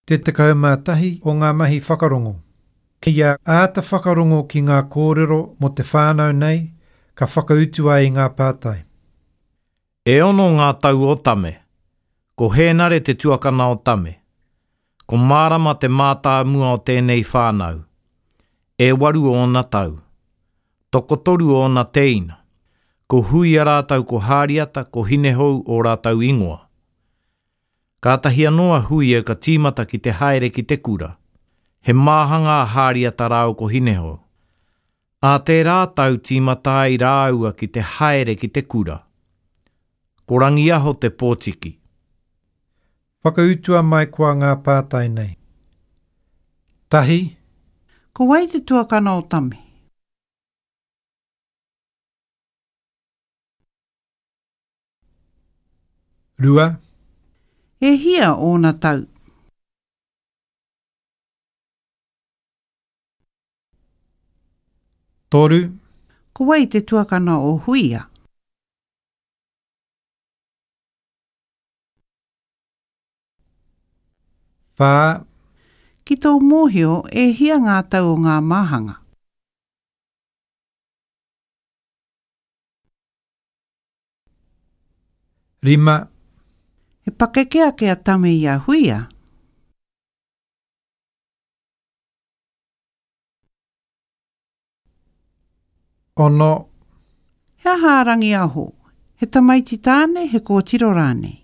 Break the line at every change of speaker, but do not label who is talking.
Te 11 o ngā mahi whakarongo. Kia āta whakarongo ki ngā kōrero mō te whānau nei, ka whakautu ai i ngā pātai.
E ono ngā tau o Tame. Ko Hēnare te tuakana o Tame. Ko Mārama te mātāmua o tēnei whānau. E waru ōna tau. Tokotoru ōna tēina. Ko Huia rātou ko Hāriata, ko Hinehou ō rātou ingoa. Kātahi anō a Huia ka tīmata ki te haere ki te kura. He māhanga a Hāriata rāua ko Hinehou. Ā tērā tau tīmata ai rāua ki te haere ki te kura. Ko Rangiaho te pōtiki.
Whakautua mai koa ngā pātai nei. Tahi.
Ko wai te tuakana o Tame?
2.
E hia ōna tau?
3.
Ko wai te tuakana o Huia?
4.
Ki tō mōhio, e hia ngā tau o ngā māhanga?
5.
He pakeke ake a Tame i a Huia.
6.
He aha a Rangiaho? He tamaiti tāne, he kōtiro rānei?